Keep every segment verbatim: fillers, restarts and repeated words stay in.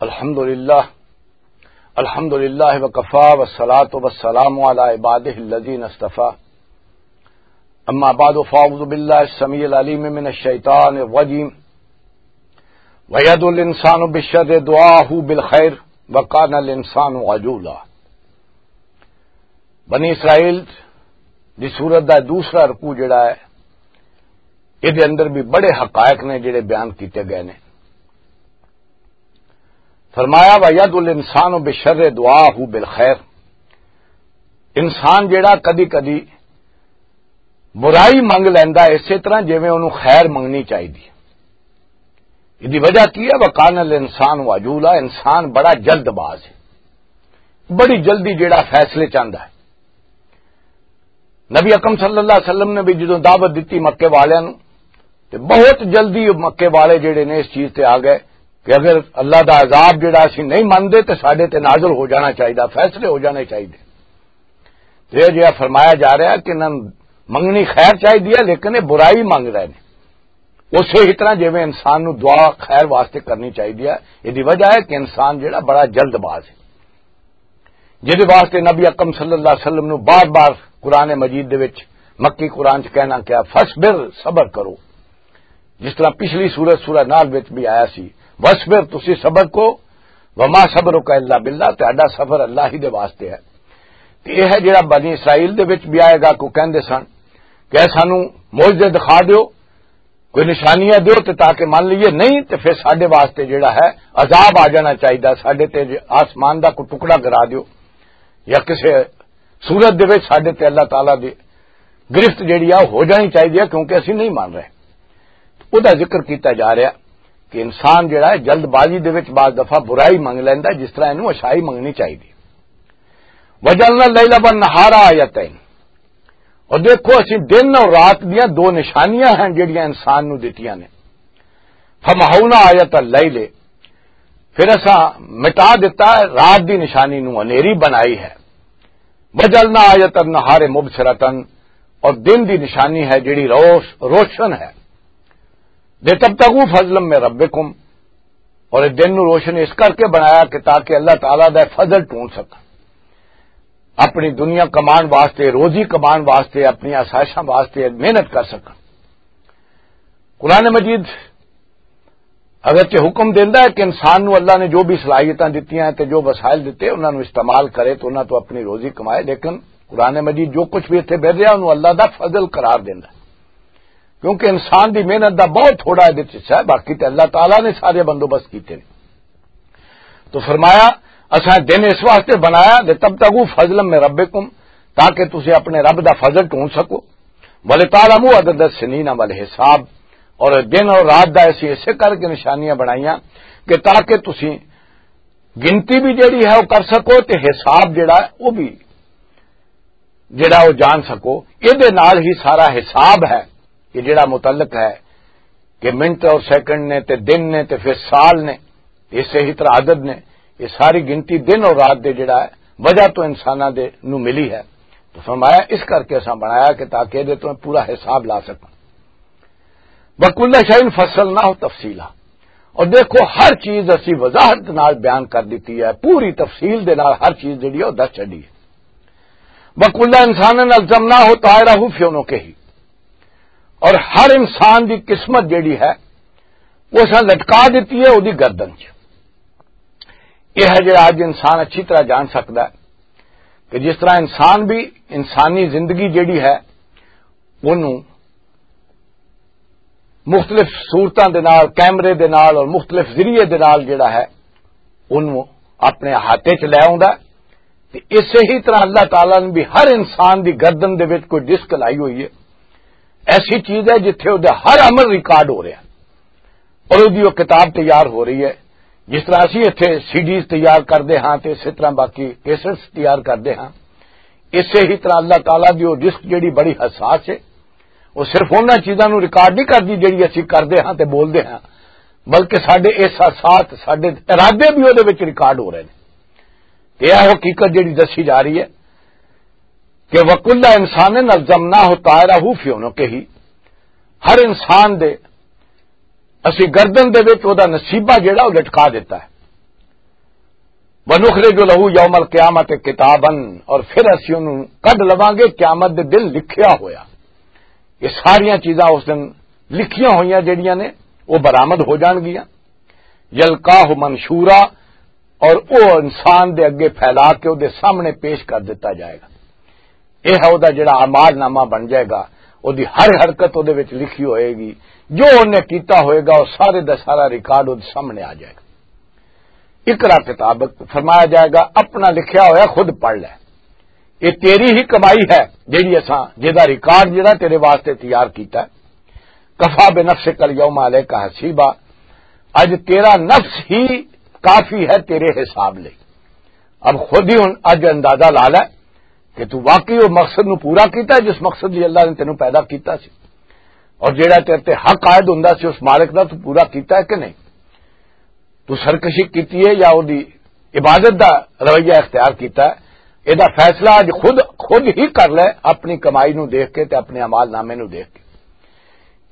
الحمد لله. الحمد لله وكفى والصلاة والسلام على عباده الذين اصطفى. أما بعد، فأعوذ بالله السميع العليم من الشيطان الرجيم. ويد الإنسان بالشر دعاه بالخير وكان الإنسان عجولا. بنی اسرائیل دی سورت دا دوسرا رکوع جڑا ہے، اے دے اندر بھی بڑے حقائق نے جڑے بیان کیتے گئے نے۔ فرمایا، "وَيَدْعُ الْإِنسَانُ بِالشَّرِّ دُعَاءَهُ بِالْخَيْرِ۔" انسان جڑا کدی کدی برائی منگ لیندا ہے، اسی طرح جویں اونوں خیر منگنی چاہیدی ہے۔ اس دی وجہ کی ہے؟ "وَكَانَ الْإِنسَانُ عَجُولًا"، انسان بڑا جلد باز ہے، بڑی جلدی جڑا فیصلے چاہندا ہے۔ نبی اکرم صلی اللہ علیہ وسلم نے بھی جدوں دعوت دتی مکے والیاں نوں، تے بہت جلدی مکے والے جڑے نے اس چیز تے آ گئے کہ اگر اللہ دا عذاب جڑا اسی نہیں مندے تے ساڈے تے نازل ہو جانا چاہیدا، فیصلے ہو جانے چاہیدے۔ تے یہ جڑا فرمایا جا رہا ہے کہ انہاں نوں منگنی خیر چاہیدی ہے، لیکن یہ برائی منگ رہے نے۔ اسی ہی طرح جویں انسان نوں دعا خیر واسطے کرنی چاہیدی ہے، یہ دی وجہ ہے کہ انسان جڑا بڑا جلد باز ہے، جس واسطے نبی اکرم صلی اللہ علیہ وسلم نوں بار بار قرآن مجید دے وچ، مکی قرآن چ کہنا کیا، "فصبر"، صبر کرو۔ جس طرح پچھلی سورت، سورہ نال وچ بھی آیا سی، "وصبر"، تسی صبر کو، "وما صبرک الا باللہ"، تہاڈا صبر اللہ ہی دے واسطے ہے۔ تے یہ ہے جڑا بنی اسرائیل دے وچ بھی آئے گا، کو کہندے سن کہ "اے سانو معجزے دکھا دیو، کوئی نشانیاں دیو تے تاکہ من لئیے، نہیں تے پھر ساڈے واسطے جڑا ہے عذاب آ جانا چاہیدا، ساڈے تے آسمان دا کوئی ٹکڑا گرا دیو یا کسے صورت دے وچ ساڈے تے اللہ تعالیٰ دی گرفت جڑی آ ہو جانی چاہیدی ہے، کیونکہ اسی نہیں من رہے۔" او دا ذکر کیتا جا رہا کہ انسان جڑا ہے جلد بازی دے وچ بعض دفعہ برائی منگ لیندا، جس طرح اینوں اشائی منگنی چاہیدی۔ "وجعلنا اللیل والنہار آیتین۔" اور دیکھو، اسی دن اور رات دیاں دو نشانیاں ہیں جڑیاں انسان نوں دتیاں نے۔ "فمحونا آیت اللیل"، پھر اساں مٹا دتا ہے رات دی نشانی نوں، ہنیری بنائی ہے۔ "وجعلنا آیت النہار مبصرۃ"، اور دن دی نشانی ہے جڑی روش-، روشن ہے۔ "لتبتغوا فضلا من ربکم"، اور اس دن نوں روشن اس کر کے بنایا کہ تاکہ اللہ تعالیٰ دا فضل ڈھونڈ سکن، اپنی دنیا کمان واسطے، روزی کمان واسطے، اپنی آسائشاں واسطے محنت کر سکن۔ قرآن مجید اگرچہ حکم دیندا ہے کہ انسان نوں اللہ نے جو بھی صلاحیتاں دتیاں ہیں تے جو وسائل دتے، انہاں نوں استعمال کرے تے انہاں تو اپنی روزی کمائے، لیکن قرآن مجید جو کچھ بھی اتھے مل رہا، انہوں اللہ دا فضل قرار دیندا ہے، کیونکہ انسان دی محنت دا بہت تھوڑا ہے، حصہ ہے، باقی تے اللہ تعالیٰ نے سارے بندوبست کیتے نے۔ تو فرمایا، "اساں دن اس واسطے بنایا، لتبتغوا فضلا من ربکم"، تاکہ تسی اپنے رب دا فضل ڈھونڈ سکو، "ولتعلموا عدد السنین والحساب"، اور دن اور رات دا اسی اسے کر کے نشانیاں بنائیاں کہ تاکہ تسی گنتی بھی جڑی ہے وہ کر سکو تے حساب جڑا ہے وہ بھی، جڑا وہ جان سکو۔ یہ دے نال ہی سارا حساب ہے کہ جڑا متعلق ہے کہ منٹ اور سیکنڈ نے تے دن نے تے پھر سال نے، اس سے ہی طرح عدد نے، یہ ساری گنتی دن اور رات دے جڑا ہے وجہ تو انساناں دے نو ملی ہے۔ تو فرمایا، اس کر کے اساں بنایا کہ تاکہ دے تو پورا حساب لا سکاں۔ "وَكُلَّ شَيْءٍ فَصَّلْنَاهُ تَفْصِيلًا"، اور دیکھو، ہر چیز اسی وضاحت نال بیان کر دیتی ہے، پوری تفصیل دے نال ہر چیز جڑی ہے وہ دس چڈی ہے۔ "وَكُلَّ إِنسَانٍ أَلْزَمْنَاهُ طَائِرَهُ فِي عُنُقِهِ"، اور ہر انسان دی قسمت جڑی ہے وہ اساں لٹکا دیتی ہے اودی گردن چ۔ یہ ہے جڑا اج انسان اچھی طرح جان سکتا ہے کہ جس طرح انسان بھی، انسانی زندگی جڑی ہے، انہوں مختلف صورتاں دے نال، کیمرے دے نال اور مختلف ذریعے دے نال جڑا ہے، انہوں اپنے ہاتھ وچ لے آوندا ہے۔ تے اسے ہی طرح اللہ تعالیٰ نے بھی ہر انسان دی گردن دے وچ کوئی ڈسک لائی ہوئی ہے، ایسی چیز ہے جتھے وہ ہر عمل ریکارڈ ہو رہا ہے اور وہ کتاب تیار ہو رہی ہے۔ جس طرح اسی اتھے سی ڈیز تیار کردے ہاں تے اسی طرح باقی کیسٹس تیار کردے ہاں، اسے ہی طرح اللہ تعالیٰ دی وہ ڈسک جڑی بڑی حساس ہے، وہ صرف انہاں چیزاں نوں ریکارڈ نہیں کردی جڑی اسی کردے ہاں تے بولدے ہاں، بلکہ ساڈے احساسات، ساڈے ارادے بھی وہ ریکارڈ ہو رہے ہیں۔ تے یہ حقیقت جڑی دسی جا رہی ہے کہ "وَكُلَّ إِنسَانٍ أَلْزَمْنَاهُ طَائِرَهُ فِي عُنُقِهِ"، ہر انسان دے اسی گردن دے وچ او دا نصیبہ جڑا او لٹکا دیتا ہے۔ وَنُخْرِجُ لَهُ يَوْمَ الْقِيَامَةِ كِتَابًا، اور پھر اسی انہوں کڈ لواں گے قیامت دے دن لکھیا ہویا۔ یہ ساریاں چیزاں اس دن لکھیاں ہوئیاں جڑیاں نے، وہ برآمد ہو جان گیاں۔ یلقاہ منشورا، اور وہ انسان دے اگے پھیلا کے وہ دے سامنے پیش کر دیتا جائے گا۔ یہ ہے وہ جڑا اعمال نامہ بن جائے گا، وہ دی ہر حرکت وہ دے وچ لکھی ہوئے گی، جو انہیں کیتا ہوئے گا، وہ سارے دا سارا ریکارڈ وہ دے سامنے آ جائے گا۔ اقرا کتاب، فرمایا جائے گا، اپنا لکھیا ہویا خود پڑھ لے۔ یہ تیری ہی کمائی ہے، جیڑی اساں، جہدا ریکارڈ جڑا تیرے واسطے تیار کیتا ہے۔ کفا بنفسک الیوم علیک حسیبا، اج تیرا نفس ہی کافی ہے تیرے حساب لئی۔ اب خود ہی ہن اج اندازہ لا لے کہ تو واقعی وہ مقصد نو پورا کیتا ہے جس مقصد لئی اللہ نے تینوں پیدا کیتا سی، اور جیڑا تیرے تے حق عائد ہوندا سی اس مالک دا، تو پورا کیتا ہے کہ نہیں؟ تو سرکشی کیتی ہے یا اودی عبادت دا رویہ اختیار کیتا ہے؟ اے دا فیصلہ اج خود، خود ہی کر لے، اپنی کمائی نو دیکھ کے تے اپنے اعمال نامے نو دیکھ کے۔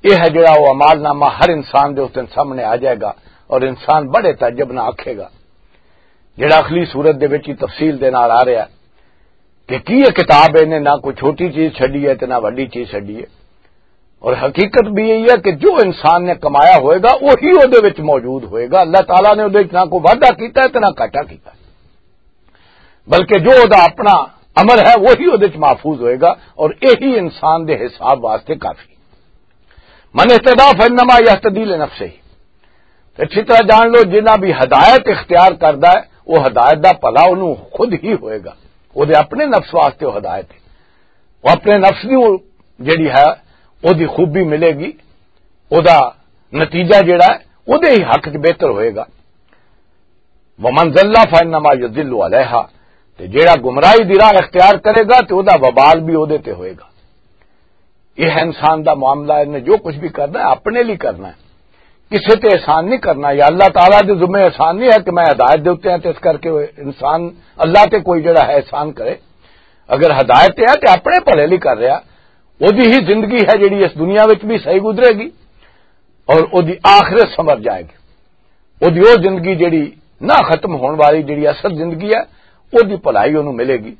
یہ ہے جڑا وہ اعمال نامہ ہر انسان دے اس دن سامنے آ جائے گا، اور انسان بڑے تعجب نہ آکھے گا، جڑا اخلی صورت دے وچ ہی تفصیل دے نال آ رہا ہے کہ کی یہ کتاب ہے، انہیں نہ کوئی چھوٹی چیز چھڈی ہے تے نہ وڈی چیز چھڈی ہے۔ اور حقیقت بھی یہی ہے کہ جو انسان نے کمایا ہوئے گا، وہی وہ دے وچ موجود ہوئے گا۔ اللہ تعالیٰ نے وہ دے وچ نہ کوئی وعدہ کیتا ہے تے نہ گھاٹا کیتا ہے، بلکہ جو وہ دا اپنا عمل ہے، وہی وہ دے وچ محفوظ ہوئے گا، اور یہی انسان دے حساب واسطے کافی۔ من اہتدیٰ فإنما یہتدی لنفسہ۔ تے اچھی طرح جان لو، جنہ بھی ہدایت اختیار کردا ہے، وہ ہدایت دا بھلا انہوں خود ہی ہوئے گا، وہ دے اپنے نفس واسطے وہ ہدایت ہے، وہ اپنے نفس نوں جڑی ہے، وہ دی خوبی ملے گی، وہ دا نتیجہ جڑا ہے، وہ دے ہی حق چ بہتر ہوئے گا۔ ومن ضل فإنما یضل علیہا، تے جیڑا گمراہی دی راہ اختیار کرے گا تے او دا وبال بھی او دے تے ہوئے گا۔ یہ ہے انسان دا معاملہ، انہیں جو کچھ بھی کرنا ہے اپنے لیے کرنا ہے، کسے تے احسان نہیں کرنا۔ یا اللہ تعالیٰ دے ذمے احسان نہیں ہے کہ میں ہدایت دے اُتے ہاں تے اس کر کے انسان اللہ تے کوئی جڑا ہے احسان کرے۔ اگر ہدایت تے ہے تے اپنے بھلے لیے کر رہا، او دی ہی زندگی ہے جڑی اس دنیا وچ بھی صحیح گزرے گی اور او دی آخرت سنور جائے گی۔ او دی او زندگی جڑی نہ ختم ہون والی، جڑی اصل زندگی ہے، او دی بھلائی اونوں ملے گی۔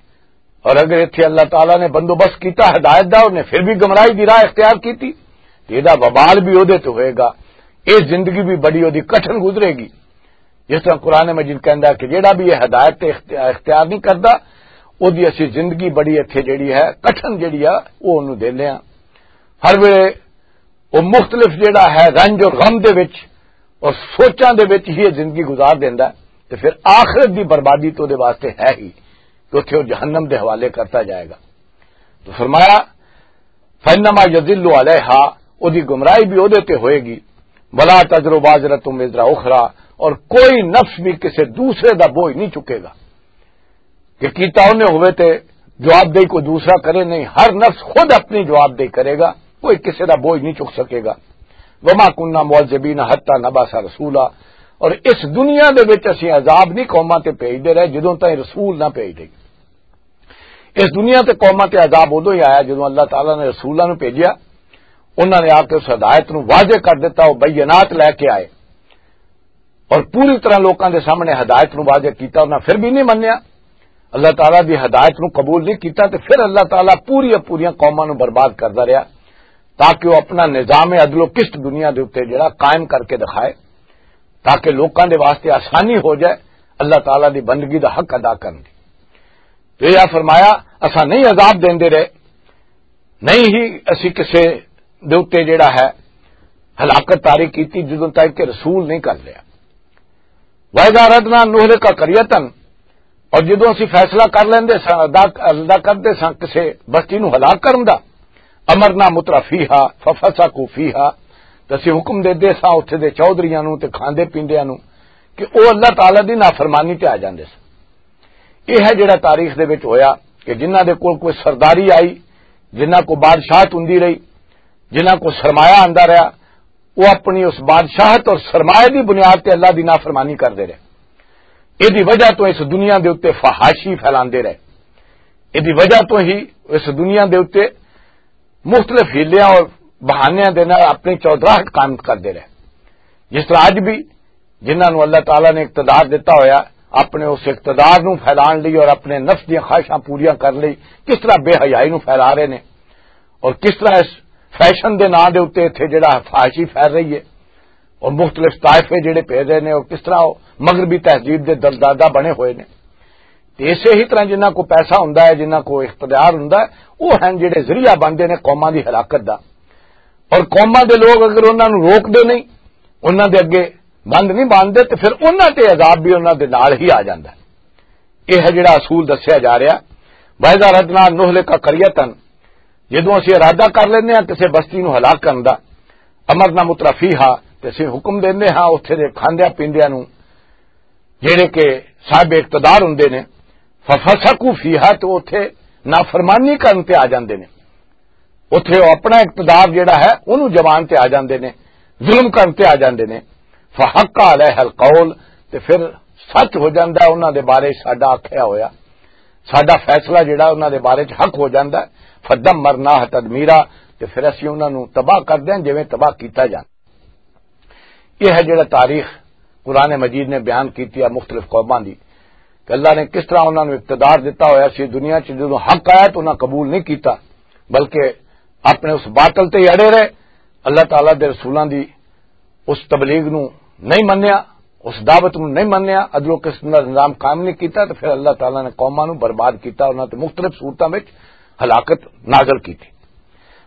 اور اگر ایتھے اللہ تعالیٰ نے بندوبست کیتا ہدایت دا، انہیں پھر بھی گمراہی دی راہ اختیار کیتی، تے ایہدا وبال بھی اودے تے ہوئے گا۔ اے زندگی بھی بڑی اودی کٹھن گزرے گی۔ جس طرح قرآن مجید کہندا کہ جیڑا بھی یہ ہدایت تے اخت-، اختیار نہیں کردا، اودی اسی زندگی بڑی ایتھے جڑی ہے، کٹھن جڑی ہے، او اونوں دیندے ہاں۔ ہر ویلے وہ مختلف جڑا ہے رنج اور غم دے وچ اور سوچاں دے وچ ہی یہ زندگی گزار دیندا ہے، تے پھر آخرت دی بربادی تو دے واسطے ہے ہی کہ اتھے وہ جہنم دے حوالے کرتا جائے گا۔ تو فرمایا، فَإِنَّمَا يَضِلُّ عَلَيْهَا، او دی گمراہی بھی اودے تے ہوئے گی، وَلَا تَزِرُ وَازِرَةٌ وِزْرَ أُخْرَىٰ، اور کوئی نفس بھی کسے دوسرے دا بوجھ نہیں چکے گا۔ کہ کیتا انہیں ہوئے تے جواب دہی کوئی دوسرا کرے نہیں، ہر نفس خود اپنی جواب دہی کرے گا، کوئی کسے دا بوجھ نہیں چک سکے گا۔ وما کننا معذبین حتی نبعث رسولا، اور اس دنیا دے وچ اسی عذاب نہیں قوماں تے بھیج دے رہے جدوں تائیں رسول نہ بھیج دے۔ اس دنیا تے قوماں تے عذاب ادوں ہی آیا جدوں اللہ تعالیٰ نے رسولاں نوں بھیجیا، انہاں نے آ کے اس ہدایت نوں واضح کر دتا، وہ بینات لے کے آئے۔ اور پوری طرح لوکاں دے سامنے ہدایت نوں واضح کیتا، انہاں پھر بھی نہیں منیا، اللہ تعالیٰ دی ہدایت نوں قبول نہیں کیتا، تے پھر اللہ تعالیٰ پوری پوریاں قوماں نوں برباد کردا رہیا، تاکہ وہ اپنا نظام عدل و قسط دنیا دے اوتے جڑا قائم کر کے دکھائے، تاکہ لوکاں دے واسطے آسانی ہو جائے اللہ تعالیٰ دی بندگی دا حق ادا کرن دی۔ تو یہ فرمایا، اساں نہیں عذاب دیندے رہے، نہیں ہی اسی کسے دے اُتے جڑا ہے ہلاکت طاری کیتی جدوں تک کہ رسول نہیں کر لیا۔ وَإِذَا أَرَدْنَا أَن نُهْلِكَ قَرْيَةً، اور جدوں اسی فیصلہ کر لیندے ساں، ادا، ادا کردے ساں کسے بستی نو ہلاک کرن دا، أَمَرْنَا مُتْرَفِيهَا فَفَسَقُوا فِيهَا، تو اسی حکم دے دے ساں اتھے دے چودھریاں نو تے کھاندے پیندیاں نو کہ او اللہ تعالیٰ دی نافرمانی تے آ جاندے ساں۔ یہ ہے جڑا تاریخ دے وچ ہویا کہ جنہاں دے کول کوئی سرداری آئی، جنہاں کو بادشاہت ہوندی رہی، جنہاں کو سرمایہ آندا رہیا، وہ اپنی اس بادشاہت اور سرمایہ دی بنیاد تے اللہ دی نافرمانی کردے رہے۔ یہ دی وجہ تو اس دنیا دے اُتے فحاشی پھیلاندے رہے۔ یہ دی وجہ تو ہی اس دنیا دے اُتے مختلف حیلیاں اور بہانیاں دے نال اپنی چودراہٹ قائم کردے رہے۔ جس طرح اج بھی جنہاں نوں اللہ تعالیٰ نے اقتدار دتا ہویا، اپنے اس اقتدار نو پھیلان لئی اور اپنے نفس دیاں خواہشاں پوریاں کرن لئی کس طرح بے حیائی نو پھیلا رہے نے، اور کس طرح اس فیشن دے نام دے اُتے اتھے جڑا فحاشی پھیل رہی ہے، اور مختلف طائفے جڑے پھیل رہے نے، اور کس طرح وہ مغربی تہذیب دے دلدادہ بنے ہوئے نے۔ تے اسے ہی طرح جنہاں کو پیسہ ہوندا ہے، جنہاں کو اقتدار ہوندا ہے، وہ ہیں جڑے ذریعہ بنتے نے قوماں دی ہلاکت دا۔ اور قوماں دے لوگ اگر انہاں نوں روک دے نہیں، انہاں دے اگے بند نہیں باندھتے، تے پھر انہاں تے عذاب بھی انہاں دے نال ہی آ جاندا ہے۔ یہ ہے جڑا اصول دسیا جا رہا۔ وَإِذَا أَرَدْنَا أَن نُهْلِكَ قَرْيَةً، جدوں اسی ارادہ کر لیندے ہاں کسے بستی نوں ہلاک کرن دا، أَمَرْنَا مُتْرَفِيهَا، تے اسی حکم دیندے ہاں اتھے دے کھاندیاں پیندیاں نوں، جڑے کہ صاحب اقتدار ہوندے نے، فَفَسَقُوا فِيهَا، تے اتھے نافرمانی کرن تے آ جاندے نے۔ اتھے وہ اپنا اقتدار جڑا ہے، انہوں جوان تے آ جاندے نے، ظلم کرن تے آ جاندے نے۔ فَحَقَّ عَلَيْهَا الْقَوْلُ، تے پھر سچ ہو جاندا ہے انہاں دے بارے ساڈا آکھیا ہویا، ساڈا فیصلہ جڑا انہاں دے بارے چ حق ہو جاندا ہے۔ فَدَمَّرْنَاهَا تَدْمِيرًا، تے پھر اسی انہاں نوں تباہ کر دیاں جویں تباہ کیتا جاندا۔ یہ ہے جڑا تاریخ قرآن مجید نے بیان کیتی ہے مختلف قوماں دی، کہ اللہ نے کس طرح انہاں نوں اقتدار دتا ہویا سی دنیا چ، جدوں حق آیا تو انہاں قبول نہیں کیتا، بلکہ اپنے اس باطل تے ہی اڑے رہے۔ اللہ تعالیٰ دے رسولاں دی اس تبلیغ نوں نہیں منیا، اس دعوت نوں نہیں منیا، ادرو قسم دا نظام قائم نہیں کیتا، تو پھر اللہ تعالیٰ نے قوماں نوں برباد کیتا، انہاں تے مختلف صورتاں وچ ہلاکت نازل کیتی۔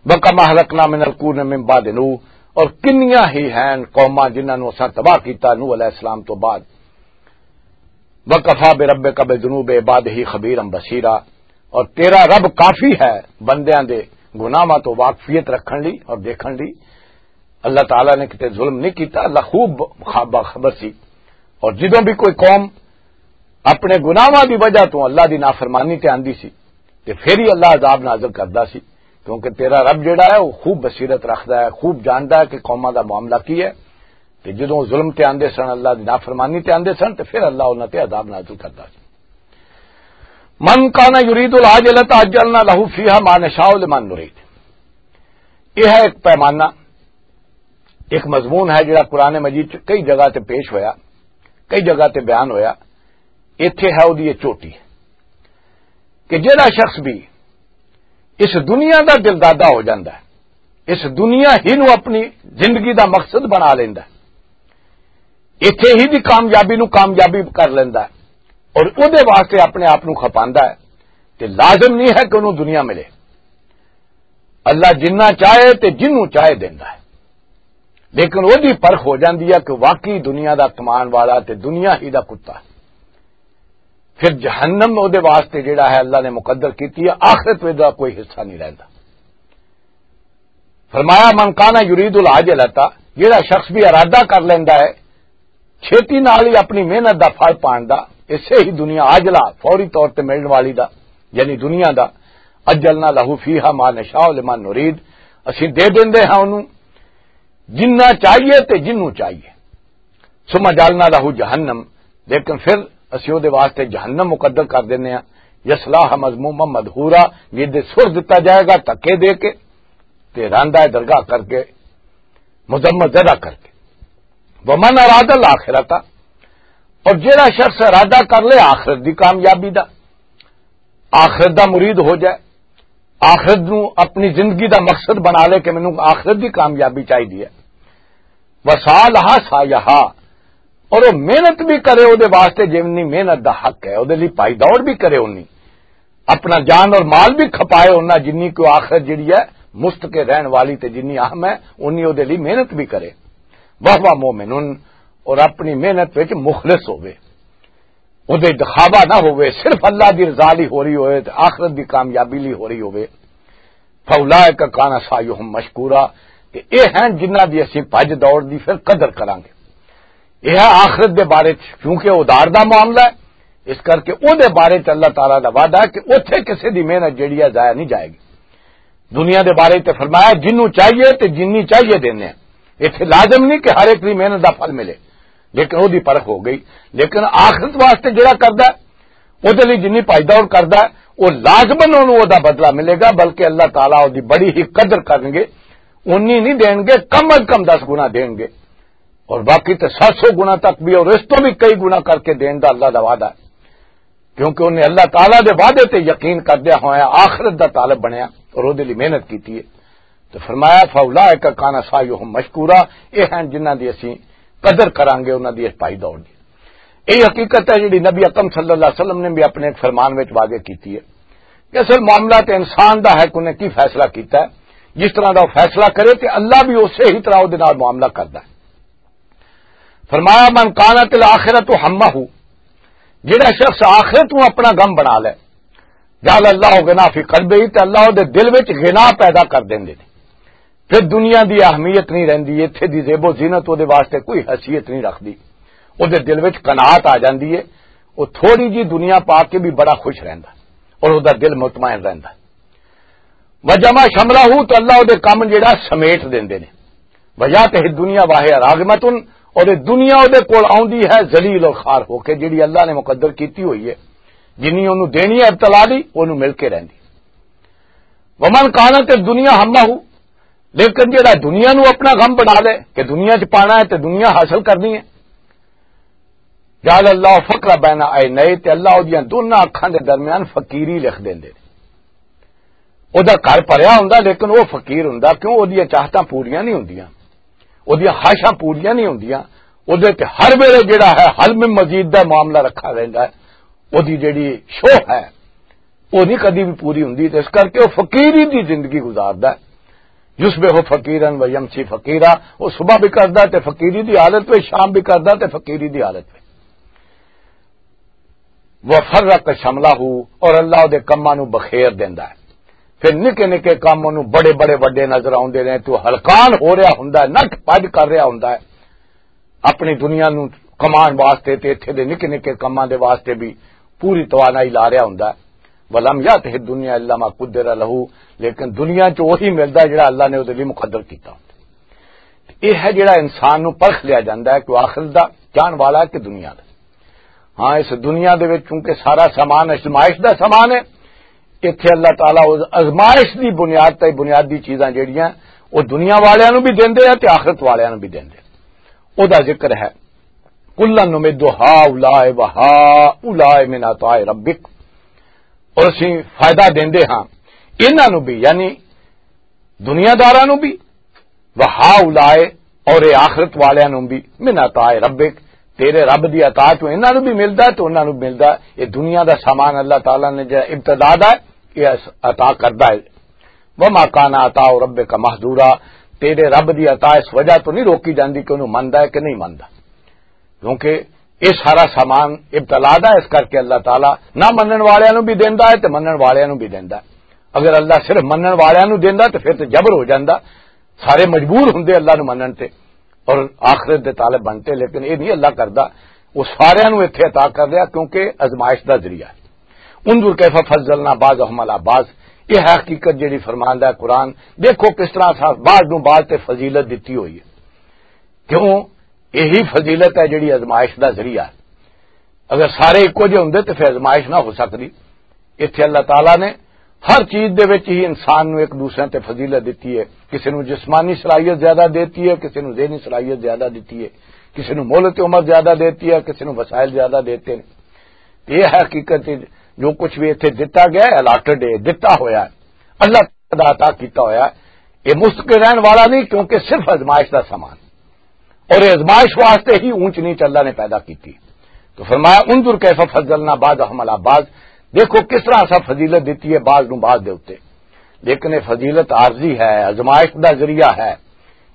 وَكَمْ أَهْلَكْنَا مِنَ الْقُرُونِ مِنْ بَعْدِ نُوحٍ، اور کنیاں ہی ہیں قوماں جنہاں نوں اساں تباہ کیتا نوح علیہ السلام تو بعد۔ وَكَفَىٰ بِرَبِّكَ بِذُنُوبِ عِبَادِهِ خَبِيرًا بَصِيرًا، اور تیرا رب کافی ہے بندیاں دے گناہاں تو واقفیت رکھن لئی اور دیکھن لئی۔ اللہ تعالیٰ نے کتے ظلم نہیں کیتا، اللہ خوب باخبر سی۔ اور جدوں بھی کوئی قوم اپنے گناہاں دی وجہ تو اللہ دی نافرمانی تے آندی سی، تے پھر ہی اللہ عذاب نازل کردا سی، کیونکہ تیرا رب جڑا ہے، وہ خوب بصیرت رکھدا ہے، خوب جاندا ہے کہ قوماں دا معاملہ کی ہے۔ تے جدوں ظلم تے آندے سن، اللہ دی نافرمانی تے آندے سن، تے پھر اللہ انہاں تے عذاب نازل کردا سی۔ مَنْ كَانَ يُرِيدُ الْعَاجِلَةَ عَجَّلْنَا لَهُ فِيهَا مَا نَشَاءُ لِمَنْ نُرِيدُ۔ یہ ہے ایک پیمانہ، ایک مضمون ہے جڑا قرآن مجید چ کئی جگہ تے پیش ہویا، کئی جگہ تے بیان ہویا۔ ایتھے ہے اودی یہ چوٹی، کہ جڑا شخص بھی اس دنیا دا دلدادہ ہو جاندا ہے، اس دنیا ہی نو اپنی زندگی دا مقصد بنا لیندا ہے، ایتھے ہی دی کامیابی نو کامیابی کر لیندا ہے، اور اودے واسطے اپنے آپ نو کھپاندا ہے، تے لازم نہیں ہے کہ انہوں دنیا ملے۔ اللہ جنہ چاہے تے جنوں چاہے دیندا ہے، لیکن اودی پرکھ ہو جاندی ہے کہ واقعی دنیا دا کمان والا تے دنیا ہی دا کتا۔ پھر جہنم اودے واسطے جڑا ہے اللہ نے مقدر کیتی ہے، آخرت وچ دا کوئی حصہ نہیں رہندا۔ فرمایا، من کان یرید العاجلۃ، جڑا شخص بھی ارادہ کر لیندا ہے چھیتی نال ہی اپنی محنت دا پھل پان دا، اسے ہی دنیا عاجلہ، فوری طور تے ملن والی دا، یعنی دنیا دا، عجلنا لہ فیہا ما نشاء لمن نرید، اسی دے دیندے ہاں انہوں جنہ چاہیے تے جنوں چاہیے۔ ثم جعلنا لہ جہنم، لیکن پھر اسی او دے واسطے جہنم مقدر کر دینے ہاں، یصلاها مذموما مدحورا، جس دے سر دتا جائے گا دھکے دے کے تے راندا ہے درگاہ کر کے، مذمت زدہ کر کے۔ ومن اراد الاخرۃ، اور جڑا شخص ارادہ کر لے آخرت دی کامیابی دا، آخرت دا مرید ہو جائے، آخرت نو اپنی زندگی دا مقصد بنا لے کہ مینوں آخرت دی کامیابی چاہیے ہے، وسعی لہا سعیہا، اور وہ محنت بھی کرے او دے واسطے، جنی محنت دا حق ہے، او دے لئی پائی دوڑ بھی کرے، اونی اپنا جان اور مال بھی کھپائے، اوناں جنی کو آخرت جڑی ہے مستقل رہن والی تے جنی اہم ہے، اونی او دے لئی محنت بھی کرے۔ وہو مومن، اور اپنی محنت وچ مخلص ہوے، او دے دکھاوا نہ ہوے، صرف اللہ دی رضا لئی ہو رہی ہوے تے آخرت دی کامیابی لئی ہو رہی ہوے۔ فَأُولَٰئِكَ كَانَ سَعْيُهُم مَّشْكُورًا، تے اے ہیں جنہاں دی اسی بھج دوڑ دی پھر قدر کراں گے۔ اے ہے آخرت دے بارے چ، کیونکہ ادار دا معاملہ ہے، اس کر کے او دے بارے چ اللہ تعالیٰ دا وعدہ ہے کہ اوتھے کسے دی محنت جڑی ہے ضائع نہیں جائے گی۔ دنیا دے بارے تے فرمایا، جنوں چاہیے تے جنی چاہیے دینے ہیں۔ ایتھے لازم نہیں کہ ہر ایک دی محنت دا پھل ملے، لیکن او دی پرکھ ہو گئی۔ لیکن آخرت واسطے جڑا کردا ہے، او دے لئی جنی پائی دوڑ کردا ہے، او لازماً اونوں او دا بدلہ ملے گا، بلکہ اللہ تعالیٰ او دی بڑی ہی قدر کرن گے، اونی نہیں دین گے، کم از کم دس گنا دین گے۔ اور باقی تے ست سو گنا تک بھی اور اس تو بھی کئی گنا کر کے دین دا اللہ دا وعدہ ہے، کیونکہ انہیں اللہ تعالیٰ دے وعدے تے یقین کردیا ہویا آخرت دا طالب بنیا اور اودے لئی محنت کیتی ہے۔ تو فرمایا، "فاولئک کان سعیہم مشکورا"، یہ ہیں جنہاں دی اسی قدر کرانگے، انہاں دی اس پائی دور دی۔ یہ حقیقت ہے جڑی نبی اکرم صلی اللہ علیہ وسلم نے بھی اپنے ایک فرمان وچ واضح کیتی ہے کہ اصل معاملہ تے انسان دا ہے کہ انہیں کی فیصلہ کیتا ہے، جس طرح دا وہ فیصلہ کرے تے اللہ بھی اسی ہی طرح وہ دے نال معاملہ کردا ہے۔ فرمایا، "من کانت الآخرۃ ہمہ"، جڑا شخص آخرت نو اپنا غم بنا لے، جعل اللہ غنا فی قلبہ، تے اللہ دے دل وچ غنا پیدا کر دیندے نے۔ پھر دنیا دی اہمیت نہیں رہندی، ایتھے دی زیب و زینت او دے واسطے کوئی حیثیت نہیں رکھدی۔ او دے دل وچ قناعت آ جاندی ہے، او تھوڑی جی دنیا پا کے بھی بڑا خوش رہندا اور او دا دل مطمئن رہندا۔ وجمع شملہ، تو اللہ او دے کم جڑا سمیٹ دیندے نے۔ وجات دنیا واہ راغمتن، اور یہ دنیا او دے کول آوندی ہے ذلیل اور خوار ہو کے، جڑی اللہ نے مقدر کیتی ہوئی ہے، جنی اونوں دینی ہے ابتلا دی، اونوں مل کے رہندی۔ ومن کانت الدنیا ہمہ، لیکن جڑا دنیا نو اپنا غم بنا لے کہ دنیا چ پانا ہے تے دنیا حاصل کرنی ہے، جعل اللہ فقر بین عینیہ، تے اللہ اودیاں دوناں اکھاں دے درمیان فقیری لکھ دیندے۔ او دا گھر بھریا ہوندا لیکن او فقیر ہوندا، کیوں؟ او دیاں چاہتاں پوریاں نہیں ہوندیاں، او دیاں خواہشاں پوریاں نہیں ہوندیاں۔ او دے تے ہر ویلے جڑا ہے حل میں مزید دا معاملہ رکھا رہندا ہے۔ او دی جڑی شوہ ہے، او نہیں کدی بھی پوری ہوندی، تے اس کر کے او فقیری دی زندگی گزاردا ہے۔ یصبح فقیرا و یمسی فقیرا، او صبح بھی کردا تے فقیری دی حالت وچ، شام بھی کردا تے فقیری دی حالت وچ۔ وفرق شملہ، اور اللہ دے کماں نو بخیر دیندا ہے۔ پھر نکے نکے کم اونوں بڑے بڑے وڈے نظر آوندے نے، تو ہلکان ہو رہا ہوندا ہے، نٹ پج کر رہا ہوندا ہے۔ اپنی دنیا نو کمان واسطے تے ایتھے دے نکے نکے کماں دے واسطے بھی پوری توانائی لا رہا ہوندا ہے۔ ولم یاتہ الدنیا الا ما قدر لہ، لیکن دنیا چ وہی ملدا ہے جڑا اللہ نے اودے لئی مقدر کیتا ہوندا۔ یہ ہے جڑا انسان نو پرکھ لیا جاندا ہے کہ وہ آخرت دا جان والا ہے کہ دنیا دا۔ ہاں، اس دنیا دے وچ چونکہ سارا سامان ازمائش دا سامان ہے، ایتھے اللہ تعالیٰ اس ازمائش دی بنیاد تے بنیادی چیزاں جڑیاں، وہ دنیا والیاں نو بھی دیندے ہیں تے آخرت والیاں نو بھی دیندے ہیں۔ او دا ذکر ہے، "کلا نمد ہاؤلاء و ہاؤلاء من عطاء ربک"، اور اسی فائدہ دیندے ہاں انہاں نو بھی، یعنی دنیا داراں نو بھی، "و ہاؤلاء"، اور اے آخرت والیاں نو بھی، "من عطاء ربک"، تیرے رب دی عطا تو انہاں نو بھی ملدا ہے تو انہاں نو بھی ملدا ہے۔ یہ دنیا دا سامان اللہ تعالیٰ نے جڑا ابتدا دا ہے، یہ اس-، عطا کردا ہے۔ "وما کان عطاء ربک محظورا"، تیرے رب دی عطا اس وجہ تو نہیں روکی جاندی کہ انہوں مندا ہے کہ نہیں مندا، کیونکہ یہ سارا سامان ابتلا دا ہے، اس کر کے اللہ تعالیٰ نہ منن والیاں نو بھی دیندا ہے تے منن والیاں نو بھی دیندا ہے۔ اگر اللہ صرف منن والیاں نو دیندا تے پھر تے جبر ہو جاندا، سارے مجبور ہوندے اللہ نو منن تے اور آخرت دے طالب بنتے، لیکن یہ نہیں اللہ کردا۔ وہ ساریاں نو ایتھے عطا کر دیا کیونکہ ازمائش دا ذریعہ ہے۔ "انظر کیف فضلنا بعضهم علی بعض"، یہ ہے حقیقت جڑی فرماندا ہے قرآن۔ دیکھو کس طرح اساں بعض نو بعض تے فضیلت دتی ہوئی ہے۔ کیوں؟ یہی فضیلت ہے جڑی ازمائش دا ذریعہ ہے۔ اگر سارے ایکو جے ہوندے تے پھر ازمائش نہ ہو سکدی۔ ایتھے اللہ تعالیٰ نے ہر چیز دے وچ ہی انسان نو ایک دوسرے تے فضیلت دتی ہے۔ کسی نو جسمانی صلاحیت زیادہ دیتی ہے، کسی نو ذہنی صلاحیت زیادہ دیتی ہے، کسی نو مہلت عمر زیادہ دیتی ہے، کسی نو وسائل زیادہ دیتے ہیں۔ یہ حقیقت ہے، جو کچھ بھی ایتھے دتا گیا ہے، الاٹڈ ہے، دتا ہویا ہے، اللہ تعالیٰ دا عطا کیتا ہویا ہے۔ یہ مستقل رہن والا نہیں، کیونکہ صرف ازمائش دا سامان۔ اور یہ ازمائش واسطے ہی اونچ نیچ اللہ نے پیدا کی تھی۔ تو فرمایا، "انظر کیف فضلنا بعضهم علی بعض"، دیکھو کس طرح اسا فضیلت دیتی ہے بعض نو بعض دے اُتے۔ لیکن یہ فضیلت عارضی ہے، ازمائش دا ذریعہ ہے،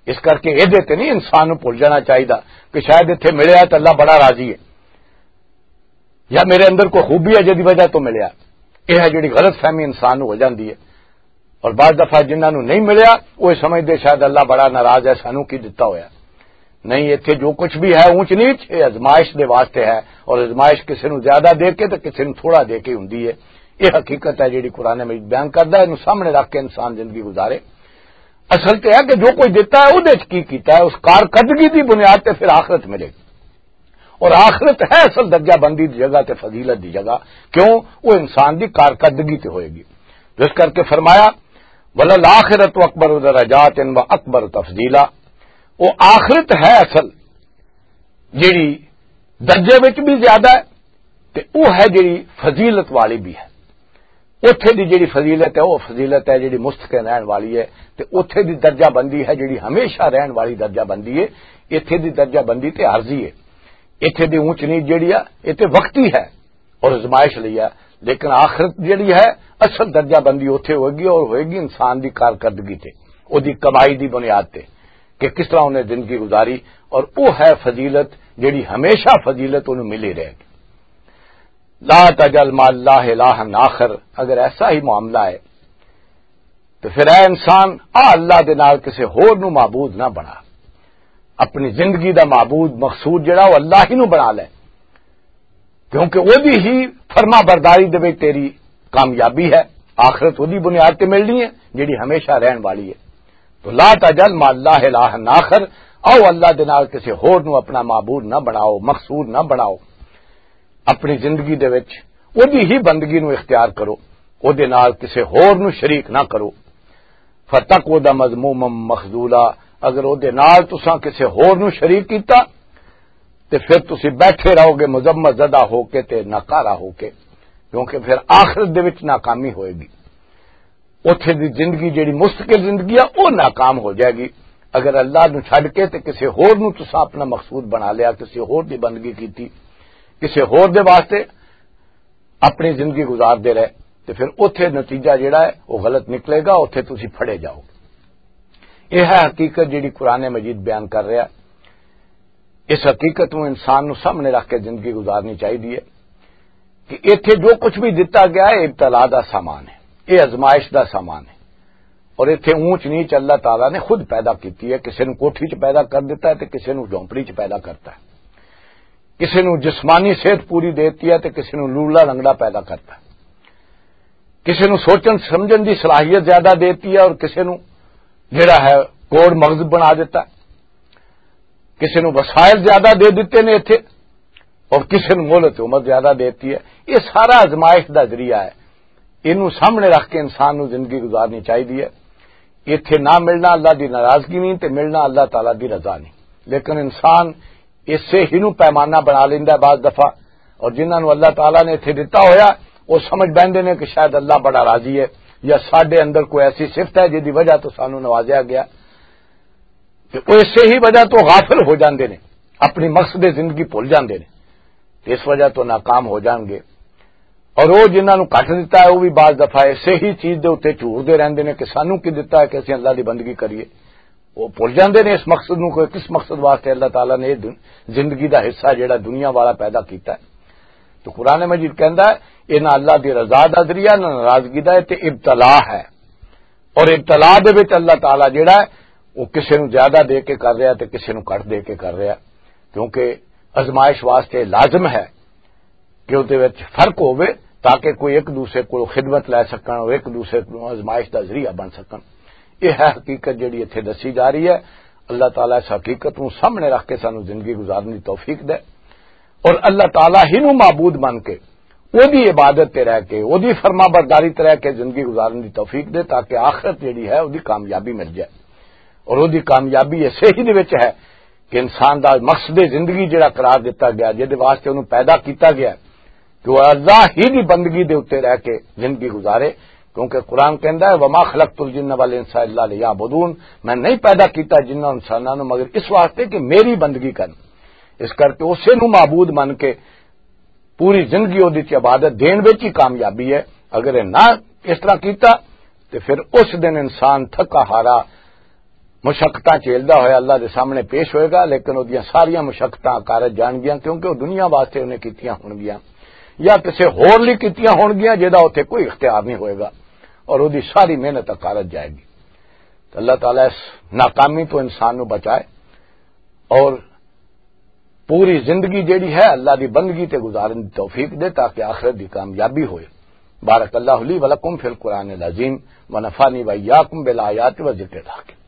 اس کر کے یہ تے نہیں انسان نو بھول جانا چاہیے کہ شاید اتھے ملیا ہے تو اللہ بڑا راضی ہے۔ یا میرے اندر کوئی خوبی ہے جدی وجہ تو ملیا۔ یہ ہے جڑی غلط فہمی انسان نو ہو جاندی ہے۔ اور بعض دفعہ جنہاں نو نہیں ملیا، وہ یہ سمجھدے شاید اللہ بڑا ناراض ہے، سانو کی دتا ہویا۔ نہیں، ایتھے جو کچھ بھی ہے اونچ نیچ، یہ ازمائش دے واسطے ہے، اور ازمائش کسی نو زیادہ دے کے تے کسی نو تھوڑا دے کے ہوندی ہے۔ یہ حقیقت ہے جڑی قرآن مجید بیان کردا ہے، اینو سامنے رکھ کے انسان زندگی گزارے۔ اصل تے ہے کہ جو کوئی دیتا ہے، اودے وچ کی کیتا ہے، اس کارکردگی دی بنیاد تے پھر آخرت ملے گی۔ اور آخرت ہے اصل درجہ بندی دی جگہ تے فضیلت دی جگہ، کیوں؟ وہ انسان دی کارکردگی تے ہوئے گی۔ جس کر کے فرمایا، "وللآخرۃ اکبر درجات و اکبر تفضیلا"، وہ آخرت ہے اصل جیڑی درجے وچ بھی زیادہ ہے، تے او ہے جیڑی فضیلت والی بھی ہے۔ اوتھے دی جیڑی فضیلت ہے، او فضیلت ہے جیڑی مستقل رہن والی ہے، تے اوتھے دی درجہ بندی ہے جیڑی ہمیشہ رہن والی درجہ بندی ہے۔ ایتھے دی درجہ بندی تے عارضی ہے۔ ایتھے دی اونچ نیچ جیڑی آ، اے تے وقتی ہے اور آزمائش لئی ہے، لیکن آخرت جیڑی ہے، اصل درجہ بندی اوتھے ہوئے گی اور ہوئے گی انسان دی کارکردگی تے، او دی کمائی دی بنیاد تے، کہ کس طرح انہیں زندگی گزاری، اور او ہے فضیلت جیڑی ہمیشہ فضیلت انہوں ملی رہے گی۔ لا تجعل مع اللہ الہا آخر، اگر ایسا ہی معاملہ ہے تو پھر اے انسان، آ اللہ دے نال کسے ہور نو معبود نہ بنا۔ اپنی زندگی دا معبود، مقصود جڑا، وہ اللہ ہی نو بنا لے، کیونکہ او دی ہی فرما برداری دے وچ تیری کامیابی ہے۔ آخرت او دی بنیاد تے ملنی ہے جڑی ہمیشہ رہن والی ہے۔ تو لا تجعل مع اللہ الہا آخر، او اللہ دے نال کسے ہور نو اپنا معبود نہ بناؤ، مقصود نہ بناؤ۔ اپنی زندگی دے وچ او دی ہی بندگی نو اختیار کرو، او دے نال کسے ہور نو شریک نہ کرو۔ فتقعد مذموما مخذولا، اگر او دے نال تساں کسے ہور نو شریک کیتا، تے پھر تسی بیٹھے رہو گے مذمت زدہ ہو کے تے ناکارہ ہو کے، کیونکہ پھر آخرت دے وچ ناکامی ہوئے گی۔ اوتھے دی زندگی جیڑی مستقل زندگی آ، او ناکام ہو جائے گی۔ اگر اللہ نو چھڈ کے تے کسے ہور نو تساں اپنا مقصود بنا لیا، کسے ہور دی بندگی کیتی، کسے ہور دے واسطے اپنی زندگی گزار دے رہے، تے پھر اوتھے نتیجہ جیڑا ہے، وہ غلط نکلے گا، اوتھے تسی پھڑے جاؤ گے۔ یہ ہے حقیقت جیڑی قرآن مجید بیان کر رہا۔ اس حقیقت نو انسان نو سامنے رکھ کے زندگی گزارنی چاہیے کہ ایتھے جو کچھ بھی دتا گیا ہے، ابتلا دا سامان ہے، یہ آزمائش دا سامان ہے۔ اور ایتھے اونچ نیچ اللہ تعالیٰ نے خود پیدا کیتی ہے۔ کسے نو کوٹھی چ پیدا کر دیتا ہے تے کسے نو جھونپڑی چ پیدا کرتا ہے۔ کسے نو جسمانی صحت پوری دیتی ہے تے کسے نو لولا لنگڑا پیدا کرتا ہے۔ کسے نو سوچن سمجھن دی صلاحیت زیادہ دیتی ہے اور کسے نو جڑا ہے کوڑ مغز بنا دیتا ہے۔ کسے نو وسائل زیادہ دے دیتے نے ایتھے اور کسے نو مہلت عمر زیادہ دیتی ہے۔ یہ سارا آزمائش دا ذریعہ ہے۔ اینو سامنے رکھ کے انسان نو زندگی گزارنی چاہیے۔ ایتھے نہ ملنا اللہ دی ناراضگی نہیں تے ملنا اللہ تعالیٰ دی رضا نہیں۔ لیکن انسان اسے ہی نو پیمانہ بنا لیندا ہے بعض دفعہ، اور جنہاں نو اللہ تعالیٰ نے ایتھے دتا ہویا، وہ سمجھ بیندے نے کہ شاید اللہ بڑا راضی ہے یا ساڈے اندر کوئی ایسی صفت ہے جس دی وجہ تو سانو نوازیا گیا۔ تے او اسے ہی وجہ تو غافل ہو جاندے نے، اپنی مقصد زندگی بھول جاندے نے، تے اس وجہ تو ناکام ہو جان گے۔ اور او جنہاں نوں کٹ دتا ہے، او بھی بعض دفعہ اسے ہی چیز دے اُتے جھوردے رہندے نے کہ سانوں کی دتا ہے کہ اسیں اللہ دی بندگی کریے۔ او بھول جاندے نے اس مقصد نوں، کہ کس مقصد واسطے اللہ تعالیٰ نے یہ دن-، زندگی دا حصہ جڑا دنیا والا پیدا کیتا ہے۔ تو قرآن مجید کہندا ہے، یہ نہ اللہ دی رضا دا ذریعہ، نہ ناراضگی دا، یہ تے ابتلا ہے۔ اور ابتلا دے وچ اللہ تعالیٰ جڑا ہے، وہ کسے نوں زیادہ دے کے کر رہا ہے تے کسے نوں گھٹ دے کے کر رہا ہے، کیونکہ آزمائش واسطے لازم ہے کہ اس دے وچ فرق ہووے، تاکہ کوئی ایک دوسرے کو خدمت لے سکن اور ایک دوسرے کو آزمائش دا ذریعہ بن سکن۔ یہ ہے حقیقت جڑی اتھے دسی جا رہی ہے۔ اللہ تعالیٰ اس حقیقت نوں سامنے رکھ کے سانوں زندگی گزارن دی توفیق دے، اور اللہ تعالیٰ ہی نوں معبود من کے، او دی عبادت تے رہ کے، او دی فرما برداری تے رہ کے زندگی گزارن دی توفیق دے، تاکہ آخرت جڑی ہے، او دی کامیابی مل جائے۔ اور او دی کامیابی اسے ہی دے وچ ہے کہ انسان دا مقصد زندگی جڑا قرار دتا گیا، جس دے واسطے انہوں پیدا کیتا گیا، کہ وہ اللہ ہی دی بندگی دے اُتے رہ کے زندگی گزارے، کیونکہ قرآن کہندا ہے، "وما خلقت الجن والانس الا لیعبدون"، میں نہیں پیدا کیتا جنہاں انساناں نوں مگر اس واسطے کہ میری بندگی کرن۔ اس کر کے اسے نوں معبود من کے پوری زندگی اودی چ عبادت دین وچ ہی کامیابی ہے۔ اگر یہ نہ اس طرح کیتا، تے پھر اس دن انسان تھکا ہارا مشقتاں جھیلدا ہویا اللہ دے سامنے پیش ہوئے گا، لیکن اودیاں ساریاں مشقتاں کارج جان گیاں، کیونکہ وہ دنیا واسطے انہیں کیتیاں ہون گیاں یا کسے ہور لئی کیتیاں ہون گیاں، جہدا اتھے کوئی اختیار نہیں ہوئے گا، اور اودی ساری محنت کارج جائے گی۔ تو اللہ تعالیٰ اس ناکامی تو انسان نو بچائے اور پوری زندگی جیڑی ہے اللہ دی بندگی تے گزارن دی توفیق دے، تاکہ آخرت دی کامیابی ہوئے۔ بارک اللہ لی و لکم فی القرآن العظیم و نفعنی و ایاکم بالآیات و ذکر الحکیم۔